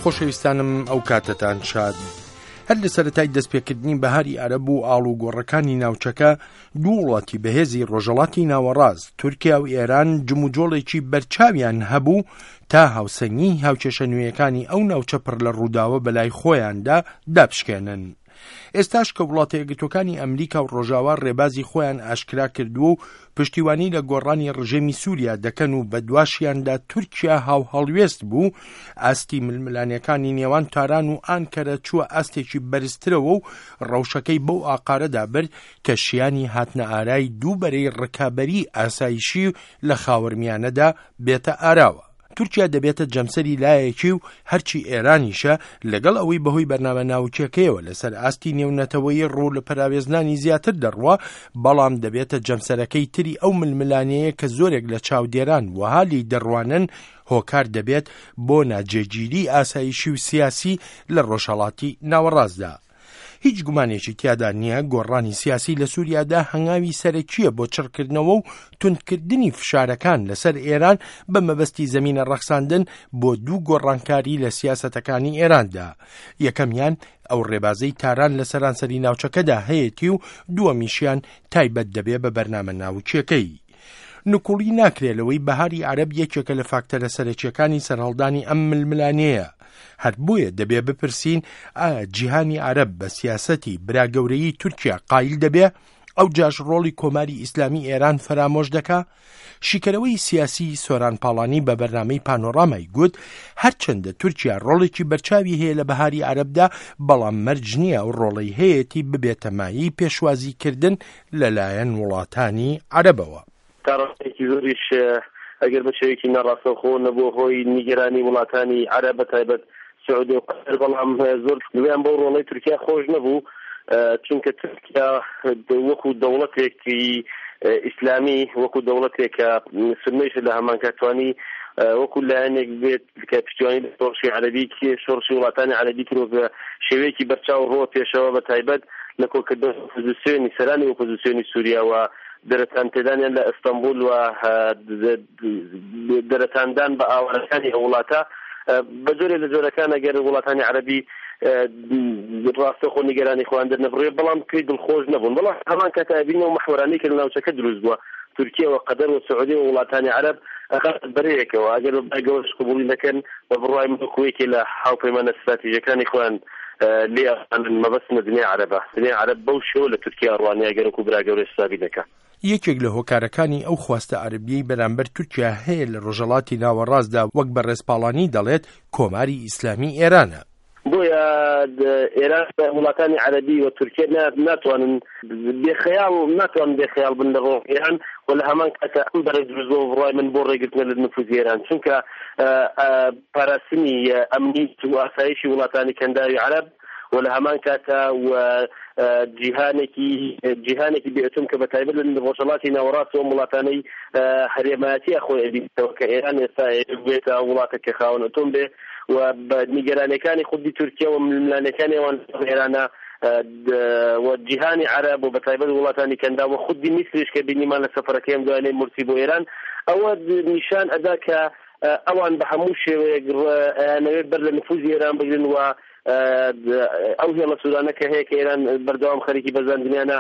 خۆشەویستانم ئەو کاتەتان شاد. هەر لە سەرەتای دەستپێکردنی بەهاری عەرەب و ئاڵوگۆڕەکانی ناوچەکە، دوو وڵاتی بەهێزی ڕۆژهەڵاتی ناوەڕاست، تورکیا و ئێران جموجۆڵێکی بەرچاویان هەبوو تا هاوسەنگیی هاوکێشە نوێیەکانی ئەو ناوچە پڕ لە ڕووداوە بەلای خۆیاندا دابشکێنن. ئێستاش کە وڵاتە یەکگرتووەکانی ئەمریکا و ڕۆژاوا ڕێبازی خۆیان ئاشکرا کردووە و پشتیوانی لە گۆڕانی ڕژێمی سووریا دەکەن و بەدواشیاندا تورکیا هاوهەڵوێست بوو، ئاستی ململانێکانی نێوان تاران و ئانکەرە چووە ئاستێکی بەرزترەوە و ڕەوشەکەی بەو ئاقارەدا برد کە شیانی هاتنەئارای دوو بەرەی ڕکابەریی ئاسایشی لە خاوەرمیانەدا بێتە ئاراوە. تورکیا دەبێتە جەمسەری لایەکی و هەرچی ئێرانیشە لەگەڵ ئەوەی بەهۆی بەرنامە ناوکیەکەیەوە لەسەر ئاستی نێونەتەوەیی ڕوو لە پەراوێزنانی زیاتر دەڕوا، بەڵام دەبێتە جەمسەرەکەی تری ئەو ململانێیە کە زۆرێک لە چاودێران وەها لێی دەڕوانن هۆکار دەبێت بۆ ناجێگیری ئاسایشی و سیاسی لە ڕۆژهەڵاتی ناوەڕاستدا. هیچ گومانێکی تیادا نییە گۆڕانی سیاسی لە سووریادا هەنگاوی سەرەکییە بۆ چڕکردنەوە و توندکردنی فشارەکان لەسەر ئێران بە مەبەستی زەمینە ڕەخساندن بۆ دوو گۆڕانکاری لە سیاسەتەکانی ئێراندا. یەکەمیان ئەو ڕێبازەی تاران لە سەرانسەری ناوچەکەدا هەیەتی و دووەمیشیان تایبەت دەبێ بە بەرنامە ناوکییەکەی. نکوڵی ناکرێ لەوەی بەهاری عەرەب یەکێکە لە فاکتەرە سەرەکییەکانی سەرهەڵدانی ئەم ململانێیە. هەر بۆیە دەبێ بپرسین ئایا جیهانی عەرەب بە سیاسەتی برا گەورەیی تورکیا قایل دەبێ؟ ئەوجاش ڕۆڵی کۆماری ئیسلامی ئێران فەرامۆش دەکا؟ شیکەرەوەی سیاسی سۆران پاڵانی بە بەرنامەی پانۆرامای گوت، هەرچەندە تورکیا ڕۆڵێکی بەرچاوی هەیە لە بەهاری عەرەبدا، بەڵام مەرج نییە ئەو ڕۆڵەی هەیەتی ببێتە مایەی پێشوازیکردن لەلایەن وڵاتانی عەرەبەوە. تا ڕادەیەکی زۆریش ئەگەر بە شێوەیەکی ناڕاستەوخۆ نەبووە هۆی نیگەرانی وڵاتانی عەرەب بە تایبەت سعودیە و قەتەر، بەڵام زۆر دڵیان بەو ڕۆڵەی تورکیا خۆش نەبوو، چونکە تورکیا وەکو دەوڵەتێکی ئیسلامی وەکو دەوڵەتێک کە سوننەیشە لە هەمانکات توانی وەکو لایەنێک بێت کە پشتیوانی لە شۆڕشی عەرەبی شۆڕشی وڵاتانی عەرەبی کرد و بە شێوەیەکی بەرچاو ڕۆ پێشەوە بە تایبەت لە کۆکردنەوەی ئۆپۆزیسیۆنی سەرانی ئۆپۆزیسیۆنی سووریا و دەرەتان پێدانیان لە ئەستەنبول و دەرەتاندان بە ئاوارەکانی ئەو وڵاتە بە جۆرێ لە جۆرەکان ئەگەر وڵاتانی عەرەبی ڕاستەخۆ نیگەرانی خۆیان دەرنەبڕێ بەڵام پێی دڵخۆش نەبوون بەڵام هەمان کات ئەبینەوە محوەرانەی کە لە ناوچەکە دروست بووە تورکیە و قەدەر و سعودیە و وڵاتانی عەرەب ئەخاتە بەرەیەکەوە ئەگەر بە بای گەورەش قبوڵی نەکەن بە بڕوای من وەکو یەکێ لە هاوپەیمانە ستراتیژەکانی خۆیان لێ ئەڕوانن مەبەستم لە دنیای عەرەبە دنیای عەرەب بەو شێوە لە تورکیا ئەڕوانێ ئەگەر وەکو برا گەورەش حسابی نەکا. یەکێک لە هۆکارەکانی ئەو خواستە عەرەبیەی بەرامبەر تورکیا هەیە لە ڕۆژهەڵاتی ناوەڕاستدا وەک بەڕێز پاڵانی دەڵێت کۆماری ئیسلامی ئێرانە. بۆیە ئێران وڵاتانی عەرەبی و تورکیە ناتوانن بێ خەیاڵ ناتوانن بێ خەیاڵ بن لە ڕۆڵی ئێران و لە هەمان کاتە ئەم بەرە دروست بووە بڕوای من بۆ ڕێگرتنە لە نفوزی ئێران چونکە پاراستنی ئەمنیت و ئاسایشی وڵاتانی کەنداوی عەرەب و لە هەمان کاتە و جیهانێکی جیهانێکی بێ ئەتۆم کە بە تایبەت لە ڕۆژهەڵاتی ناوەڕاست و ئەم وڵاتانەی هەرێمایەتیە خۆی ئەبینێتەوە کە ئێران ئێستا بێتە وڵاتێک کە خاوەن ئەتۆم بێ و بە نیگەرانیەکانی خودی تورکیا و ململانێکانی ئەوان لەگەڵ ئێرانە و جیهانی عەرەب و بەتایبەت وڵاتانی کەنداو و خودی میسریش کە بینیمان لە سەفەرەکەی ئەم دوایانەی مورسی بۆ ئێران ئەوە نیشان ئەدا کە ئەوان بە هەموو شێوەیەک ئەیانەوێت بەر لە نفوزی ئێران بگرن و ئەو هێڵە سوورانە کە هەیە کە ئێران بەردەوام خەریکی بەزاندنیانە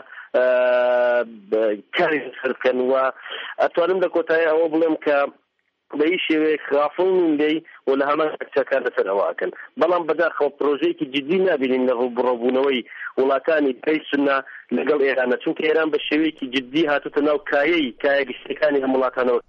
کاری لەسەر بکەن و ئەتوانم لە کۆتایی ئەوە بڵێم کە بە هیچ شێوەیەک غافڵ نین لێی و لە هەمان کاتدا کار لەسەر ئەوە ئەکەن. بەڵام بەداخەوە پرۆژەیەکی جدی نابینین لە ڕووبڕەوبوونەوەی وڵاتانی پەی سوننە لەگەڵ ئێرانە، چونکە ئێران بە شێوەیەکی جدی هاتووتە ناو کایەی کایە گشتیەکانی ئەم وڵاتانەوە.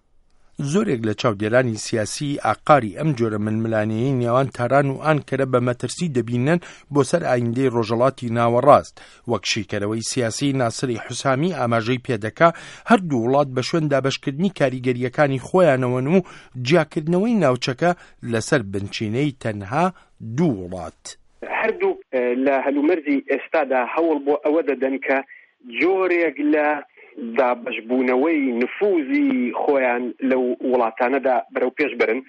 زۆرێک لە چاودێرانی سیاسی ئاقاری ئەم جۆرە ململانێیەی نێوان تاران و ئانکەرە بە مەترسی دەبینن بۆ سەر ئایندەی ڕۆژهەڵاتی ناوەڕاست، وەک شیکەرەوەی سیاسی ناسری حوسامی ئاماژەی پێدەکا، هەردوو وڵات بە شوێن دابەشکردنی کاریگەرییەکانی خۆیانەوەن و جیاکردنەوەی ناوچەکە لەسەر بنچینەی تەنها دوو وڵات. هەردووک لە هەلومەرجی ئێستادا هەوڵ بۆ ئەوە دەدەن کە جۆرێک لە دابەشبوونەوەی نفوزی خۆیان لەو وڵاتانەدا بەرەوپێش بەرن.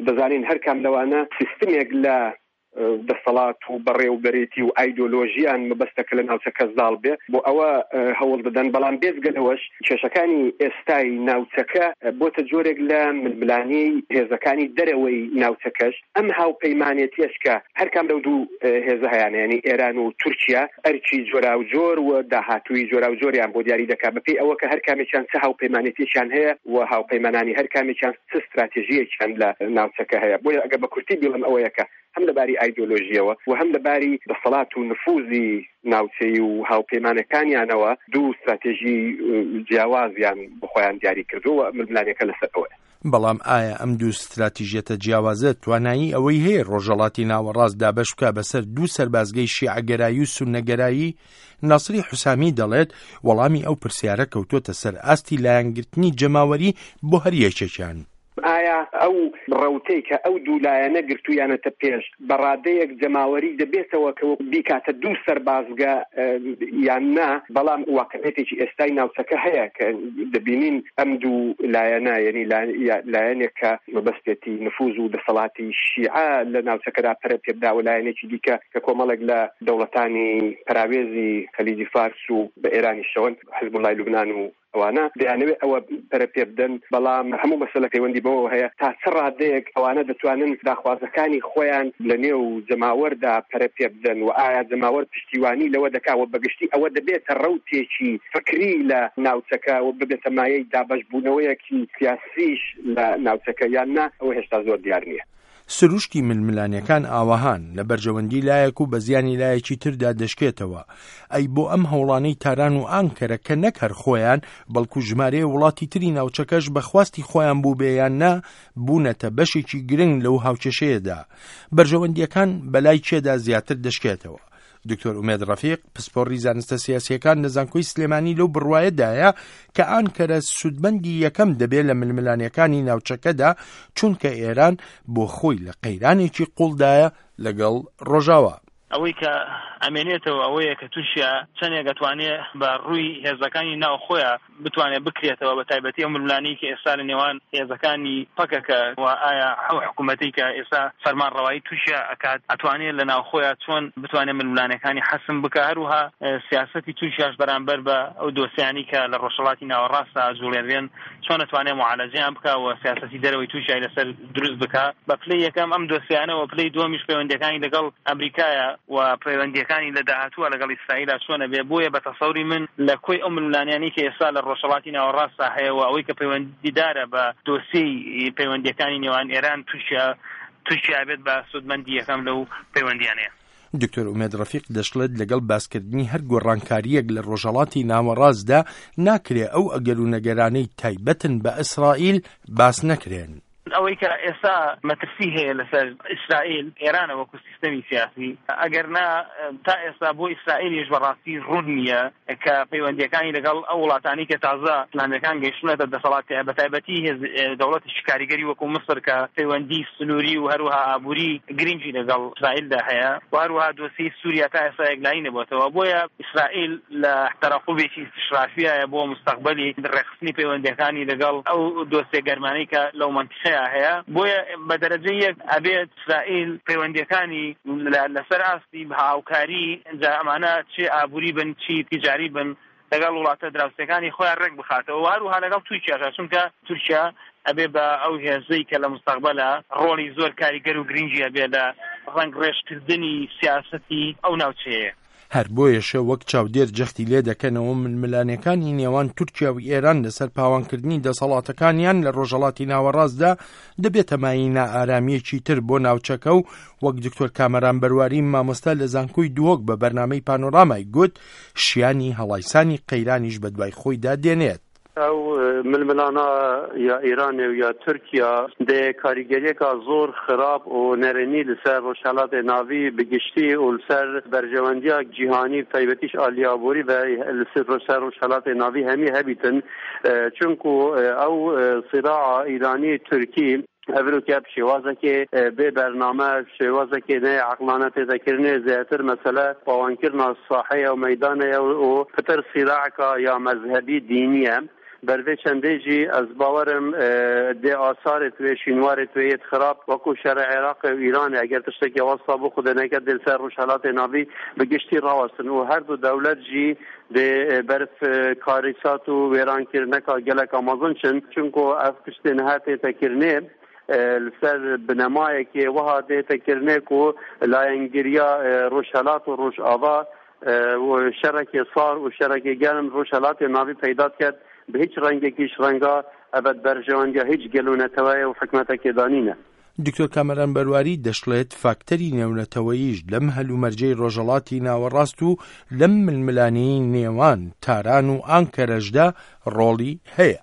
دەزانین هەرکام لەوانە سیستمێک لە. دەسەڵات و بەڕێوبەرێتی و ئایدۆلۆژیان مەبەستە کە لە ناوچەکە زاڵ بێ، بۆ ئەوە هەوڵ دەدەن، بەڵام بێجگە لەوەش کێشەکانی ئێستای ناوچەکە بۆتە جۆرێک لە ململانێی هێزەکانی دەرەوەی ناوچەکەش، ئەم هاوپەیمانێتیەش کە هەرکام لەو دوو هێزە هەیانە یانی ئێران و تورکیا ئەرکی جۆراوجۆر و داهاتووی جۆراوجۆریان بۆ دیاری دەکات بەپێی ئەوە کە هەرکامێکیان چ هاوپەیمانێتیەکیان هەیە و هاوپەیمانانی هەرکامێکیان چ ستراتێژییەکیان لە ناوچەکە هەیە. بۆیە ئەگەر بە کورتی بیڵێم ئەوەیە کە هەم لە باری ئایدۆلۆژییەوە و هەم لە باری دەسەڵات و نفوزی ناوچەیی و هاوپەیمانەکانیانەوە دوو ستراتێژی جیاوازیان بۆ خۆیان دیاری کردووە و ململانێکە لەسەر ئەوەیە. بەڵام ئایا ئەم دوو ستراتیژیەتە جیاوازە توانایی ئەوەی هەیە ڕۆژهەڵاتی ناوەڕاست دابەش بکا بەسەر دوو سەربازگەی شیعەگەرایی و سوننەگەرایی؟ ناسری حوسامی دەڵێت وەڵامی ئەو پرسیارە کەوتۆتە سەر ئاستی لایەنگرتنی جەماوەری بۆ هەر یەکێکیان. ئایا ئەو ڕەوتەی کە ئەو دوو لایەنە گرتوویانەتە پێش بە ڕادەیەک جەماوەری دەبێتەوە کە بیکاتە دوو سەربازگە یان نا، بەڵام واقعیەتێکی ئێستای ناوچەکە هەیە کە دەبینین ئەم دوو لایەنە یەنی لایەنێک کە مەبەستێتی نفوز و دەسەڵاتی شیعە لە ناوچەکەدا پەرە پێبدا و لایەنێکی دیکە کە کۆمەڵێک لە دەوڵەتانی پەراوێزی خەلیجی فارس و بە ئێرانیشەوەن حزبوڵای لوبنان و ئەوانە دەیانەوێت ئەوە پەرە پێ بدەن، بەڵام هەموو مەسەلە پەیوەندی بەوەوە هەیە تا چ ڕادەیەک ئەوانە دەتوانن داخوازەکانی خۆیان لە نێو جەماوەردا پەرە پێ بدەن و ئایا جەماوەر پشتیوانی لەوە دەکا و بەگشتی ئەوە دەبێتە ڕەوتێکی فکری لە ناوچەکە و ببێتە مایەی دابەشبوونەوەیەکی سیاسیش لە ناوچەکە یان نا، ئەوە هێشتا زۆر دیار نییە. سروشتی ململانێکان ئاوەهان، لە بەرژەوەندی لایەک و بە زیانی لایەکی تردا دەشکێتەوە. ئەی بۆ ئەم هەوڵانەی تاران و ئانکەرە کە نەک هەر خۆیان، بەڵکو ژمارەیە وڵاتی تری ناوچەکەش بە خواستی خۆیان بووبێ یان نا، بوونەتە بەشێکی گرنگ لەو هاوکێشەیەدا. بەرژەوەندییەکان بەلای کێدا زیاتر دەشکێتەوە؟ دکتۆر ئومێد ڕەفیق، پسپۆڕی زانستە سیاسییەکان لە زانکۆی سلێمانی لەو بڕوایەدایە کە ئانکەرە سوودمەندی یەکەم دەبێت لە ململانێکانی ناوچەکەدا، چونکە ئێران بۆ خۆی لە قەیرانێکی قوڵدایە لەگەڵ ڕۆژاوا. ئەوەی کە ئەمێنێتەوە ئەوەیە کە تورکیا چەندێک ئەتوانێ بە ڕووی هێزەکانی ناوخۆیا بتوانێت بکرێتەوە بە تایبەتی ئەو ململانێی کە ئێستا لە نێوان هێزەکانی پەکەکە و ئایا ئەو حکوومەتەی کە ئێستا فەرمانڕەوایی تورکیا ئەکات ئەتوانێت لە ناوخۆیا چۆن بتوانێت ململانێکانی حەسم بکا هەروها سیاسەتی تورکیاش بەرامبەر بە ئەو دۆسیانەی کە لە ڕۆژهەڵاتی ناوەڕاستا ئەجوڵێنرێن چۆن ئەتوانێت معالەجەیان بکا و سیاسەتی دەرەوەی تورکیای لەسەر دروست بکا بە پلەی یەکەم ئەم دۆسیانە و پلەی دووەمیش پەیوەندیەکانی لەگەڵ ئەمریکایە و پەیوەندیەکانی لە داهاتووە لەگەڵ ئیسرائیلا چۆن ئەبێ بۆیە بە تەسەوری من لە کۆی ئەو ململانیانەی کە ئێستا لە ڕۆژهەڵاتی ناوەڕاستا هەیە و ئەوەی کە پەیوەندیدارە بە دۆسیەی پەیوەندیەکانی نێوان ئێران تورکیا تورکیا ئەبێت بە سوودمەندی یەکەم لەو پەیوەندیانەیە. دکتۆر ئومێد ڕەفیق دەشڵێت لەگەڵ باسکردنی هەر گۆڕانکارییەک لە ڕۆژهەڵاتی ناوەڕاستدا ناکرێ ئەو ئەگەر و نەگەرانەی تایبەتن بە ئیسرائیل باس نەکرێن. ئەوەی کە ئێستا مەترسی هەیە لەسەر ئیسرائیل، ئێرانە وەکو سیستەمی سیاسی، ئەگەر نا تا ئێستا بۆ ئیسرائیلیش بەڕاستی ڕوون نییە کە پەیوەندییەکانی لەگەڵ ئەو وڵاتانەی کە تازە ئیسلامییەکان گەیشتوونەتە دەسەڵات بەتایبەتی هێز دەوڵەتێکی کاریگەری وەکو میسر کە پەیوەندی سنووری و هەروەها ئابووری گرنگی لەگەڵ ئیسرائیلدا هەیە و هەروەها دۆسیەی سووریا تا ئێستا یەکلایی نەبووەتەوە بۆیە ئیسرائیل لە تەرەقوبێکی ئیستشرافیایە بۆ مستەقبەلی ڕێکخستنی پەیوەندییەکانی لەگەڵ ئەو دۆسیە گەرمانەی کە لەو مەنتیقەیە هەیە بۆیە بە دەرەجەی یەک ئەبێت ئیسرائیل پەیوەندییەکانی لەسەر ئاستی هاوکاری جا ئەمانە چ ئابووری بن چی تیجاری بن لەگەڵ وڵاتە دراوسێکانی خۆیان ڕێک بخاتەوە و هەروەها لەگەڵ تورکیاشا چونکە تورکیا ئەبێ بە ئەو هێزەی کە لە مستەقبەلا ڕۆڵی زۆر کاریگەر و گرنگی ئەبێ لە ڕەنگڕێژکردنی سیاسەتی ئەو ناوچەیە. هەر بۆیەشە وەک چاودێر جەختی لێ دەکەنەوە ململانێکانی نێوان تورکیا و ئێران لەسەر پاوانکردنی دەسەڵاتەکانیان لە ڕۆژهەڵاتی ناوەڕاستدا دەبێتە مایەی نائارامییەکی تر بۆ ناوچەکە و وەک دکتۆر کامەران بەرواری مامۆستا لە زانکۆی دهۆک بە بەرنامەی پانۆرامای گوت شیانی هەڵایسانی قەیرانیش بەدوای خۆیدا دێنێت. ئەو ململانە یا ئیرانێ و یا تورکیا دێ کاریگەریەکا زۆر خراپ و نەرێنی لەسەر ڕۆژهەڵاتێ ناڤی بە گشتی و لەسەر بەرژەوەندیا جیهانی بە تایبەتیش ئالی ئابووری و لەسەر ڕۆژهەڵاتێ ناڤی هەمی هەبیتن چونکو ئەو سیراعا ئیرانی تورکی ئەڤرۆکە ب شێوازەکێ بێ بەرنامە، شێوازەکێ نەێ عەقڵانە تێتە کرنێ، زێاتر مەسەلە پاوانکرنا ساحەیە و مەیدانەیە و پتر سیراعکا یا مەزهەبی دینیە. بەر ڤێ چەندێ ژی ئەز باوەرم دێ ئاسارێت وێ شینوارێت وێ یێت خراپ وەکوو شەرێ عێراقێ و ئیرانێ ئەگەر تشتێکێ وەستا بۆ خودێ نەکەت دێ لسەر ڕوژهەلاتێ ناڤی بە گشتی ڕاوەستن و هەر دوو دەولەت ژی دێ بەرف کاریسات و وێران کرنەکا گەلەکا مەزن چن چونکۆ ئەڤ تشتێ نها تێتە کرنێ لسەر بنەمایەکێ وەها دێتە کرنێ کو لایەنگریا ڕوژهەلات و ڕوژئاڤا و شەڕێکی سار و شەڕێکی گەرم ڕۆژهەڵاتی ناوی پەیدا کرد بە هیچ ڕەنگێکیش ڕەنگا ئەبەد بەرژەوەندیا هیچ گەل و نەتەوەیە و حکومەتەکێ دانینە. دکتۆر کامەران بەرواری دەشڵێت، فاکتەری نێونەتەوەییش لەم هەلومەرجەی ڕۆژهەڵاتی ناوەڕاست و لەم ململانێی نێوان تاران و ئانکەرەشدا ڕۆڵی هەیە.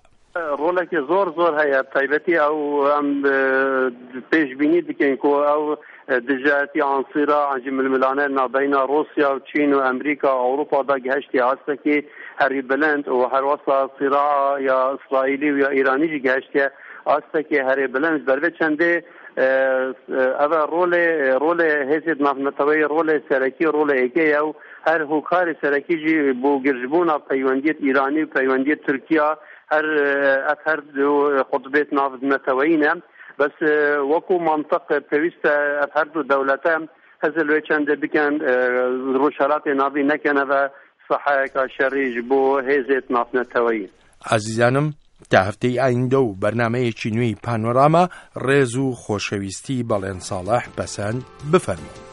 ڕۆڵێکی زۆر زۆر هەیە تایبەتی ئەو ئەم پێشبینی دکەین کو ئەو دژایەتی ئانسیرا ئەنجی ململانێ نابەینا ڕوسیا و چین و ئەمریکا و ئەوروپا دا گەهشتی ئاستێکی هەری بلند و هەروەسا سیراع یا ئیسرائیلی و یا ئیرانی جی گەهشتیە ئاستێکی هەرێ بلند بەر چەندێ ئەوە ڕۆلێ ڕۆلێ هێزێت ناونەتەوەی ڕۆلێ سەرەکی ڕۆلێ ئێکەیە و هەر هۆکاری سەرەکی ژی بۆ گرژبوونا پەیوەندیت ئیرانی و پەیوەندیت تورکیا هەر ئەف هەر دوو قوتبێت ناونەتەوەیینە بەس وەکو مەنتق پێویستە ئەف هەردوو دەولەتە هزر لێ چەندێ بکەن ڕۆژهەلاتی ناڤی نەکەنەوە ساحەیەکا شەڕی ژ بۆ هێزێت ناونەتەوەیی. ئازیزانم تا هەفتەی ئایندە و بەرنامەیەکی نوێی پانۆراما ڕێز و خۆشەویستی بەڵێن ساڵح پەسەند بفەرموون.